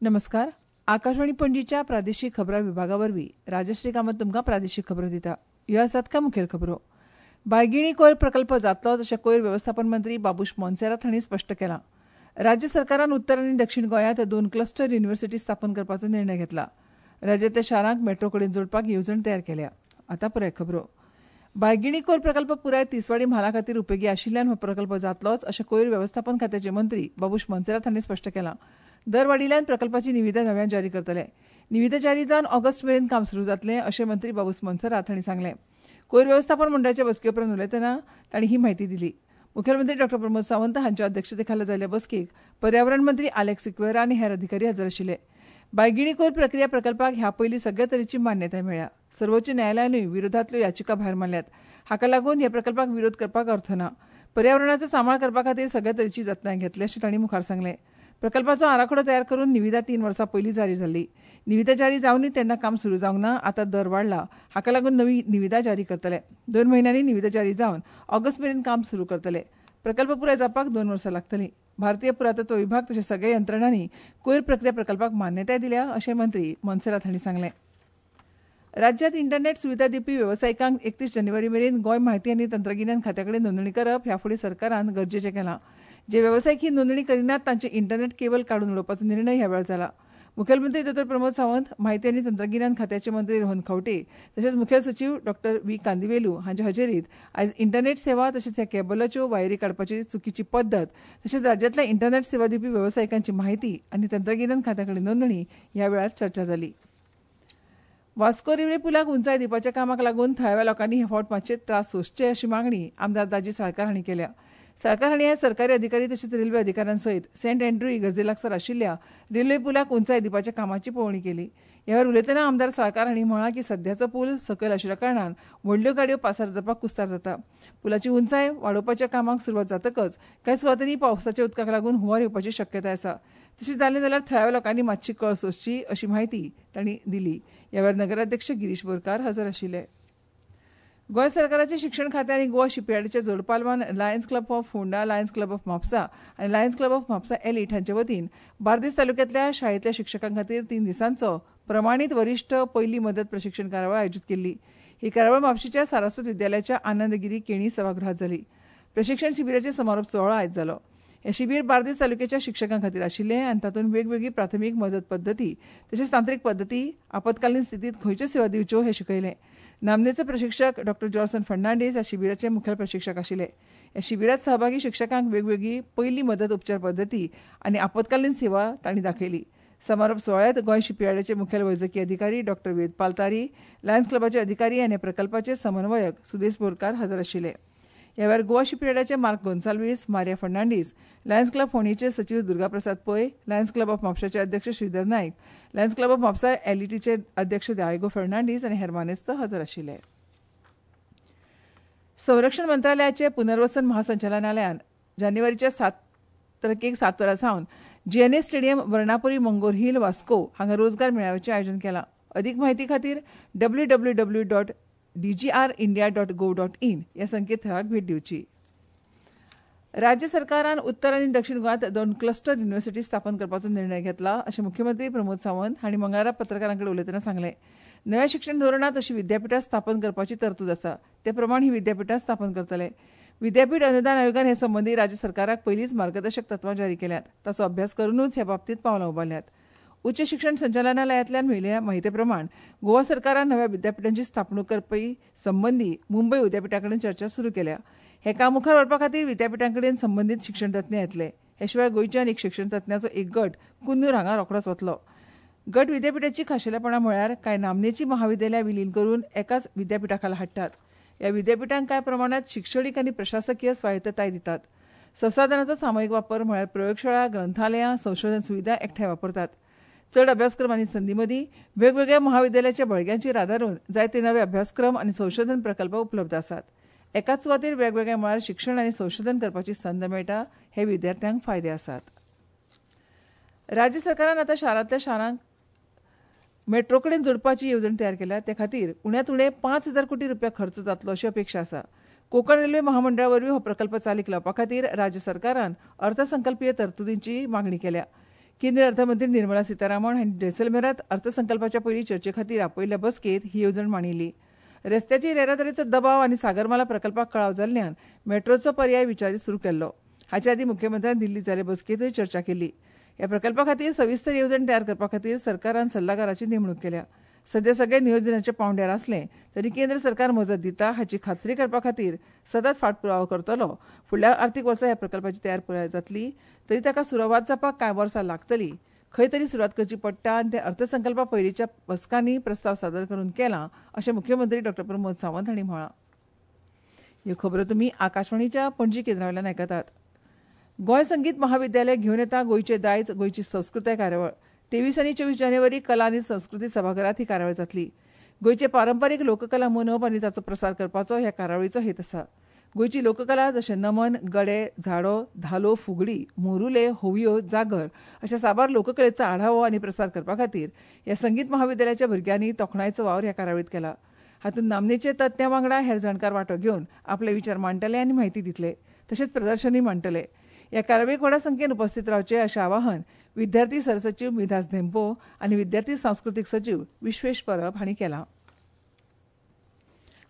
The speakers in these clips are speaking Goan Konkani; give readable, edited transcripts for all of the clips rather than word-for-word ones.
नमस्कार. आकाशवाणी पणजीच्या प्रादेशीक खबरां विभागा वरवीं राजश्री कामत तुमकां प्रादेशीक खबरो दिता. ह्यो आसात कांय मुखेल खबरो. बायगिणी कोयर प्रकल्प जातलोच अशें कोयर वेवस्थापन मंत्री बाबूश मोन्सेरात हांणी स्पश्ट केलां. राज्य सरकारान उत्तर आनी दक्षीण गोंयांत 2 क्लस्टर युनिव्हर्सिटी स्थापन करपाचो निर्णय घेतला. राज्यांतल्या शारांक मेट्रो कडेन जोडपाक येवजण तयार केल्या. आतां पुराय खबरो. बायगिणी कोयर प्रकल्प पुराय तिसवाडी म्हाला खातीर उपेगी आशिल्ल्यान हो प्रकल्प जातलोच अशें कोयर वेवस्थापन खात्याचे मंत्री बाबूश मोन्सेरात हांणी स्पश्ट केलां. दर वाडिल्ल्यान प्रकल्पाची निविदा नव्यान जारी करतले. निविदा जारी जावन ऑगस्ट मेरेन काम सुरू जातलें अशें मंत्री बाबूश मोन्सेरात हांणी सांगलें. कोयर वेवस्थापन मंडळाच्या बसके उपरांत उलयतना तांणी ही म्हायती दिली. मुखेलमंत्री डॉ प्रमोद सावंत हांच्या अध्यक्षतेखाला जाल्ल्या बसकेक पर्यावरण मंत्री आलेक्स सिक्वेरा आनी हेर अधिकारी हजर आशिल्ले. बायगिणी कोयर प्रक्रिया प्रकल्पाक ह्या पयलीं सगळे तरेची मान्यताय मेळ्ळ्या. सर्वोच्च न्यायालयानूय विरोधांतल्यो याचिका भायर मारल्यात. हाका लागून ह्या प्रकल्पाक विरोध करपाक अर्थ ना. पर्यावरणाचो सांबाळ करपा खातीर सगळे तरेची जतनाय घेतली अशें तांणी मुखार सांगलें. प्रकल्पाचो आराखडो तयार करून निविदा 3 वर्सां पयलीं जारी जाल्ली. निविदा जारी जावनूय तेन्ना काम सुरू जावंक ना. आतां दर वाडला. हाका लागून नवी निविदा जारी करतले. 2 म्हयन्यांनी निविदा जारी जावन ऑगस्ट मेरेन काम सुरू करतले. प्रकल्प पुराय जावपाक 2 वर्सां लागतलीं. भारतीय पुरातत्व विभाग तशेंच सगळ्या यंत्रणांनी कोयर प्रक्रिया प्रकल्पाक मान्यताय दिल्या अशें मंत्री मोन्सेरात हांणी सांगलें. राज्यांत इंटरनेट सुविधा दिवपी वेवसायिकांक 31 जानेवारी मेरेन गोंय म्हायती आनी तंत्रगिन्यान खात्या कडेन नोंदणी करप ह्या फुडें सरकारान गरजेचें केलां. जे वेवसायीक ही नोंदणी करिनात तांचे इंटरनेट केबल काडून उडोवपाचो निर्णय ह्या वेळार जाला. मुखेलमंत्री डॉ प्रमोद सावंत, म्हायती आनी तंत्रगिन्यान खात्याचे मंत्री रोहन खंवटे तशेंच मुखेल सचीव डॉ व्ही कांदिवेलू हांच्या हजेरीत आयज इंटरनेट सेवा तशेंच ह्या केबलाच्यो वायरी काडपाची चुकीची पद्दत तशेंच राज्यांतल्या इंटरनेट सेवा दिवपी वेवसायिकांची म्हायती आनी तंत्रगिन्यान खात्या कडेन नोंदणी ह्या वेळार चर्चा जाली. वास्को रेल्वे पुलाक उंचाय दिवपाच्या कामाक लागून थळाव्या लोकांनी हे फावट मातशे त्रास सोंसचे अशी मागणी आमदार दाजी साळकार हांणी केल्या. साळकार हांणी आयज सरकारी अधिकारी तशेंच रेल्वे अधिकाऱ्यां सयत सेंट अँड्रू इगर्जे लागसार आशिल्ल्या रेल्वे पुलाक उंचाय दिवपाच्या कामाची पळोवणी केली. ह्या वेळार उलयतना आमदार साळकार हांणी म्हळां की सध्याचो पूल सकयल आशिल्ल्या कारणान व्हडल्यो गाडयो पासार जावपाक कुस्तार जाता. पुलाची उंचाय वाडोवपाच्या कामाक सुरवात जातकच कांय सुवातांनी पावसाच्या उदकाक लागून हुंवार येवपाची शक्यताय आसा. तशें जालें जाल्यार थळाव्या लोकांनी मातशी कळ सोंसची अशी म्हायती तांणी दिली. ह्या वेळार नगराध्यक्ष गिरीश बोरकार हजर आशिल्ले. गोंय सरकाराचे शिक्षण खातें आनी Goa शिपयार्डच्या जोडपालवान Lions Club of Ponda, Lions Club of Mapusa आनी Lions Club of Mapusa Elite हांचे वतीन बार्देस तालुक्यांतल्या शाळेंतल्या शिक्षकां खातीर 3 दिसांचो प्रमाणीत वरिश्ठ पयली मदत प्रशिक्षण कार्यावळ आयोजीत केल्ली. ही कार्यावळ म्हापशेंच्या सारस्वत विद्यालयाच्या आनंदगिरी केणी सभागृहांत जाली. प्रशिक्षण शिबिराचो समारोप सुवाळो आयज जालो. हें शिबीर बार्देस तालुक्याच्या शिक्षकां खातीर आशिल्लें आनी तातूंत वेगवेगळी प्राथमीक मदत पद्दती तशेंच तांत्रीक पद्दती, आपत्कालीन स्थितींत खंयच्यो सेवा दिवच्यो हें शिकयलें. नामनेचो प्रशिक्षक डॉ जॉर्सन फर्नांडीस ह्या शिबिराचे मुखेल प्रशिक्षक आशिल्ले. ह्या शिबिरांत सहभागी शिक्षकांक वेगवेगळी पयली मदत उपचार पद्दती आनी आपत्कालीन सेवा तांणी दाखयली. समारोप सुवाळ्यांत गोंय शिपयार्डाचे मुखेल वैजकी अधिकारी डॉ वेदपाल तारी, लायन्स क्लबाचे अधिकारी आनी प्रकल्पाचे समन्वयक सुदेश बोरकार हजर आशिल्ले. ह्या वेळार Goa शिपयार्डाचे Mark Gonsalves, Maria Fernandes, Lions Club फोंडेचे सचीव Durgaprasad Pai, Lions Club of म्हापशाचे अध्यक्ष Shridhar Naik, Lions Club of Mhapsa एलईटीचे अध्यक्ष दायगो फर्नांडीस आनी हेर मानेस्त हजर आशिल्ले. संरक्षण मंत्रालयाचे पुनर्वसन महासंचालनालयान जानेवारीच्या 7 तारखेक 7 वरां सावन GNA stadium, Varnapuri, Mangor hill, Vasco हांगा रोजगार मेळाव्याचें आयोजन केलां. अदीक म्हायती खातीर www.dgrindia.gov.in ह्या संकेतथळाक भेट दिवची. राज्य सरकारान उत्तर आनी दक्षीण गोंयांत 2 क्लस्टर युनिव्हर्सिटी स्थापन करपाचो निर्णय घेतला अशें मुख्यमंत्री प्रमोद सावंत हांणी मंगळारा पत्रकारां कडेन उलयतना सांगलें. नव्या शिक्षण धोरणांत अशी विद्यापिठां स्थापन करपाची तरतूद आसा. ते प्रमाण ही विद्यापिठां स्थापन करतले. विद्यापीठ अनुदान आयोगान हे संबंदी राज्य सरकाराक पयलींच मार्गदर्शक तत्वां जारी केल्यांत. ताचो अभ्यास करूनच ह्या बाबतींत पावलां उबारल्यांत. उच्च शिक्षण संचालनालयांतल्यान मेळिल्ल्या म्हायती प्रमाण गोवा सरकारान नव्या विद्यापिठांची स्थापणूक करपी संबंदी मुंबय विद्यापिठा कडेन चर्चा सुरू केल्या. हें काम मुखार व्हरपा खातीर विद्यापिठां कडेन संबंदीत शिक्षणतज्ञ येतले. हे शिवाय गोंयच्यान एक शिक्षणतज्ञाचो एक गट कुन्नूर हांगा रोखडोच वतलो. गट विद्यापिठाची खाशेलेपणां म्हळ्यार कांय नामनेची महाविद्यालयां विलीन करून एकाच विद्यापिठा खाला हाडटात. ह्या विद्यापिठांक कांय प्रमाणांत शिक्षणीक आनी प्रशासकीय स्वायत्तताय दितात. संसाधनाचो सामुहीक वापर म्हळ्यार प्रयोगशाळा, ग्रंथालयां, संशोधन सुविधा एकठांय वापरतात. चड अभ्यासक्रम आनी संदी मदीं वेगवेगळ्या महाविद्यालयाच्या बळग्यांचेर आदारून जायते नवे अभ्यासक्रम आनी संशोधन प्रकल्प उपलब्ध आसात. एकाच सुवातेर वेगवेगळ्या मळार शिक्षण आनी संशोधन करपाची संद मेळटा. हे विद्यार्थ्यांक फायदे आसात. राज्य सरकारान आतां शारांतल्या शारांक मेट्रो कडेन जोडपाची येवजण तयार केल्या. ते खातीर उण्यांत उणे 5,000 कोटी रुपया खर्च जातलो अशी अपेक्षा आसा. कोंकण रेल्वे महामंडळा वरवीं हो प्रकल्प चालीक लावपा खातीर राज्य सरकारान अर्थसंकल्पीय तरतुदींची मागणी केल्या. केंद्रीय अर्थमंत्री निर्मला सीतारामन हांणी जैसलमेरात अर्थसंकल्पाच्या पयली चर्चे खातीर आपयल्ल्या बसकेंत ही येवजण मांडिल्ली. रस्त्याचेर येरादारीचो दबाव आनी सागरमाला प्रकल्पाक कळाव जाल्ल्यान मेट्रोचो पर्याय विचार सुरू केल्लो. हाचे आदीं मुख्यमंत्र्यान दिल्लीत जाल्ले बसकेंतूय चर्चा केल्ली. ह्या प्रकल्पा खातीर सविस्तर येवजण तयार करपा खातीर सरकारान सल्लागाराची नेमणूक केल्या. सध्या सगळे नियोजनाच्या पांवड्यार आसले तरी केंद्र सरकार मजत दिता हाची खात्री करपा खातीर सतत फाटपुरावो करतलो. फुडल्या आर्थीक वर्सा ह्या प्रकल्पाची तयार पुराय जातली तरी ताका सुरवात जावपाक कांय वर्सां लागतली. खंय तरी सुरवात करची पडटा आनी ते अर्थसंकल्पा पयलींच्या बसकांनी प्रस्ताव सादर करून केला अशें मुख्यमंत्री डॉ प्रमोद सावंत हांणी म्हळां. ह्यो खबरो तुमी आकाशवाणीच्या पणजी केंद्रावेल्यान आयकतात. गोंय संगीत महाविद्यालय घेवन येता गोंयचें दायज गोंयची संस्कृताय कार्यावळ. 23 आनी 24 जानेवारी कला आनी संस्कृती सभाघरांत ही कार्यावळ जातली. गोंयचे पारंपारीक लोककला मनोवप आनी ताचो प्रसार करपाचो ह्या कार्यावळीचो हेत आसा. गोंयची लोककला जशें नमन, गडे, झाडो, धालो, फुगडी, मोरुले, होवयो, जागर अशा साबार लोककलेचो आढावो आनी प्रसार करपा खातीर ह्या संगीत महाविद्यालयाच्या भुरग्यांनी तोखणायेचो वावर ह्या कार्यावळींत केला. हातूंत नामनेचे तज्ञां वांगडा हेर जाणकार वांटो घेवन आपले विचार मांडटले आनी म्हायती दितले, तशेंच प्रदर्शनूय मांडटले. ह्या कार्यावळीक व्हडा संख्येन उपस्थित रावचे अशें आवाहन विद्यार्थी सरसचीव मिधास धेंपो आनी विद्यार्थी सांस्कृतीक सचीव विश्वेश परब हांणी केलां.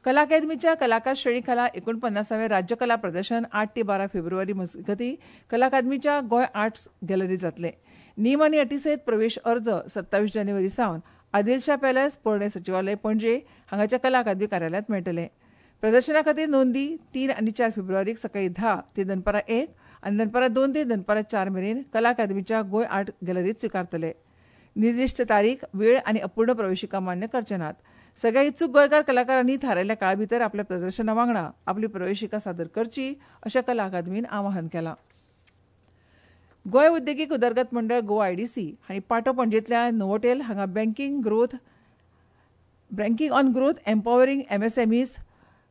कला अकादमीच्या कलाकार श्रेणी खाला 49वें राज्य कला प्रदर्शन 8 ते 12 फेब्रुवारी मजगतीं कला अकादमीच्या गोंय आर्ट्स गॅलरी जातलें. नेम आनी अटी सयत प्रवेश अर्ज 27 जानेवारी सावन आदिलशाह पॅलेस, पोरणें सचिवालय, पणजे हांगाच्या कला अकादमी कार्यालयांत मेळटले. प्रदर्शना खातीर नोंदी 3 आनी 4 फेब्रुवारीक सकाळीं 10 ते दनपारां 1 आनी दनपारां 2 ते दनपारां 4 मेरेन कला अकादमीच्या गोंय आर्ट गॅलरीत स्विकारतले. निर्दिश्ट तारीख, वेळ आनी अपूर्ण प्रवेशिका मान्य करचे नात. सगळ्या इत्सूक गोंयकार कलाकारांनी थारायल्ल्या काळा भितर आपल्या प्रदर्शना वांगडा आपली प्रवेशिका सादर करची अशें कला अकादमीन आवाहन केलां. गोंय उद्देगीक उदरगत मंडळ गोवा आयडीसी हांणी पाटो पणजेंतल्या नोवोटेल हांगा banking on growth empowering MSMEs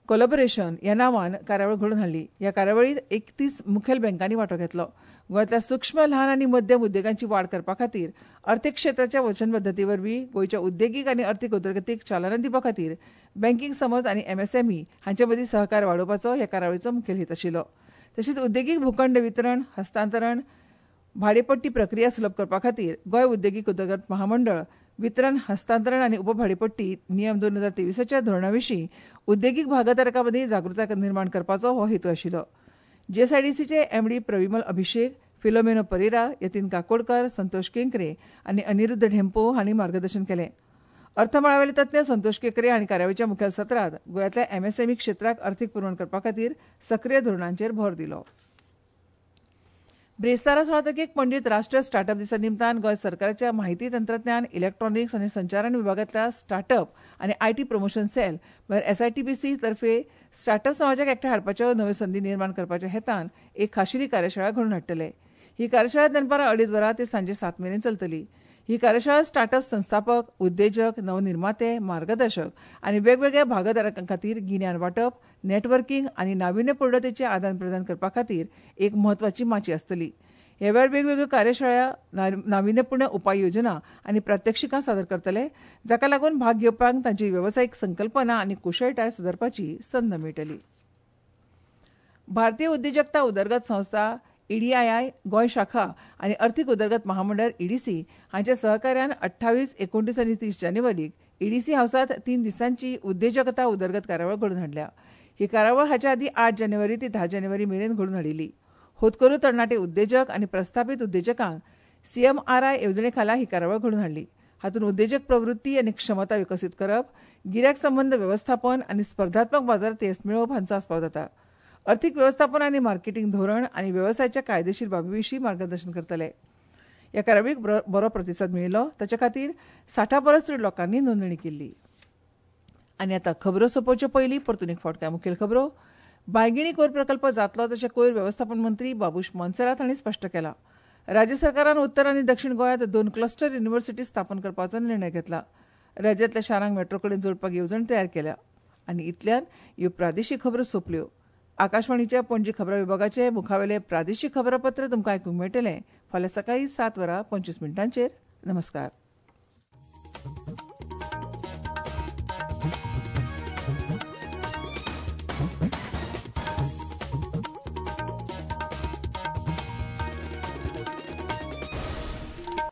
collaboration ह्या नांवान कार्यावळ घडोवन हाडली. ह्या कार्यावळींत 31 मुखेल बँकांनी वांटो घेतलो. गोंयांतल्या सूक्ष्म, ल्हान आनी मध्यम उद्देगांची वाड करपा खातीर अर्थीक क्षेत्राच्या वचनबद्धते वरवीं गोंयच्या उद्देगीक आनी अर्थीक उदरगतीक चालना दिवपा खातीर बँकींग समज आनी एमएसएमई हांचे मदीं सहकार्य वाडोवपाचो ह्या कार्यावळीचो मुखेल हेत आशिल्लो. तशेंच उद्देगीक भूखंड वितरण, हस्तांतरण, भाडेपट्टी प्रक्रिया सुलभ करपा खातीर गोंय उद्देगीक उदरगत महामंडळ वितरण, हस्तांतरण आनी उपभाडेपट्टी नियम 2023च्या धोरणा विशीं उद्देगीक भागधारकां मदीं जागृताय निर्माण करपाचो हो हेतू आशिल्लो. जीएसआयडीसीचे एमडी प्रविमल अभिषेक, फिलोमेनो परेरा, यतीन काकोडकर, संतोष केंकरे आनी अनिरुद्ध ढेंपो हांणी मार्गदर्शन केलें. अर्थमळावेले तज्ञ संतोष केंकरे हांणी कार्यावळीच्या मुखेल सत्रांत गोंयांतल्या एमएसएमई क्षेत्राक अर्थीक पुरवण करपा खातीर सक्रीय धोरणांचेर भर दिलो. ब्रेस्तारा 16 तारखेक पणजेंत राष्ट्रीय स्टार्टअप दिसा निमतान गोंय सरकाराच्या माहिती तंत्रज्ञान, इलेक्ट्रॉनिक्स आनी संचारण विभागांतल्या स्टार्टअप आनी IT promotion sale म्हळ्यार एसआयटीपीसी तर्फे स्टार्टअप समाजाक एकठांय हाडपाच्यो नव्यो संदी निर्माण करपाच्या हेतान एक खाशेली कार्यशाळा घडोवन हाडटले. ही कार्यशाळा दनपारां 2:30 वरां ते सांजे 7 मेरेन चलतली. ही कार्यशाळा स्टार्टअप संस्थापक, उद्देजक, नवनिर्माते, मार्गदर्शक आनी वेगवेगळ्या भागधारकां खातीर गिन्यान वांटप, नेटवर्किंग आनी नाविन्यपूर्णतेचें आदान प्रदान करपा खातीर एक म्हत्वाची माची आसतली. ह्या वेळार वेगवेगळ्यो कार्यशाळा, नाविन्यपूर्ण उपाय योजना आनी प्रात्यक्षिकां सादर करतले, जाका लागून भाग घेवप्यांक तांची वेवसायीक संकल्पना आनी कुशळटाय सुदारपाची संद मेळटली. भारतीय उद्देजकता उदरगत संस्था ईडीआयआय गोंय शाखा आनी अर्थीक उदरगत महामंडळ ईडीसी हांच्या सहकार्यान 28, 29 आनी 30 जानेवारीक ईडीसी हावसांत 3 दिसांची उद्देजकता उदरगत कार्यावळ घडोवन हाडल्या. ही कार्यावळ हाचे आदीं 8 जानेवारी ते 10 जानेवारी मेरेन घडोवन हाडिल्ली. होतकरू तरणाटे उद्देजक आनी प्रस्थापीत उद्देजकांक सीएमआरआय येवजणे खाला ही कार्यावळ घडोवन हाडली. हातूंत उद्देजक प्रवृत्ती आनी क्षमता विकसीत करप, गिरायक संबंद वेवस्थापन आनी स्पर्धात्मक बाजारांत येस मेळोवप हांचो आस्पाव जाता. अर्थीक वेवस्थापन आनी मार्केटींग धोरण आनी वेवसायाच्या कायदेशीर बाबी विशीं मार्गदर्शन करतले. ह्या कार्यावळीक बरो प्रतिसाद मेळिल्लो. ताचे खातीर 60 परस चड लोकांनी नोंदणी केल्ली. आनी आतां खबरो सोंपोवच्यो पयलीं परतून एक फावट कांय मुखेल खबरो. बांयगिणी कोयर प्रकल्प जातलो तशें कोयर वेवस्थापन मंत्री बाबूश मोन्सेरात हांणी स्पश्ट केलां. राज्य सरकारान उत्तर आनी दक्षिण गोंयांत 2 क्लस्टर युनिव्हर्सिटी स्थापन करपाचो निर्णय घेतला. राज्यांतल्या शारांक मेट्रो कडेन जोडपाक येवजण तयार केल्या. आनी इतल्यान ह्यो प्रादेशीक खबरो सोंपल्यो. आकाशवाणीच्या पणजी खबरां विभागाचे मुखावेले प्रादेशीक खबरापत्र तुमकां आयकूंक मेळटलें फाल्यां सकाळीं 7:25. नमस्कार.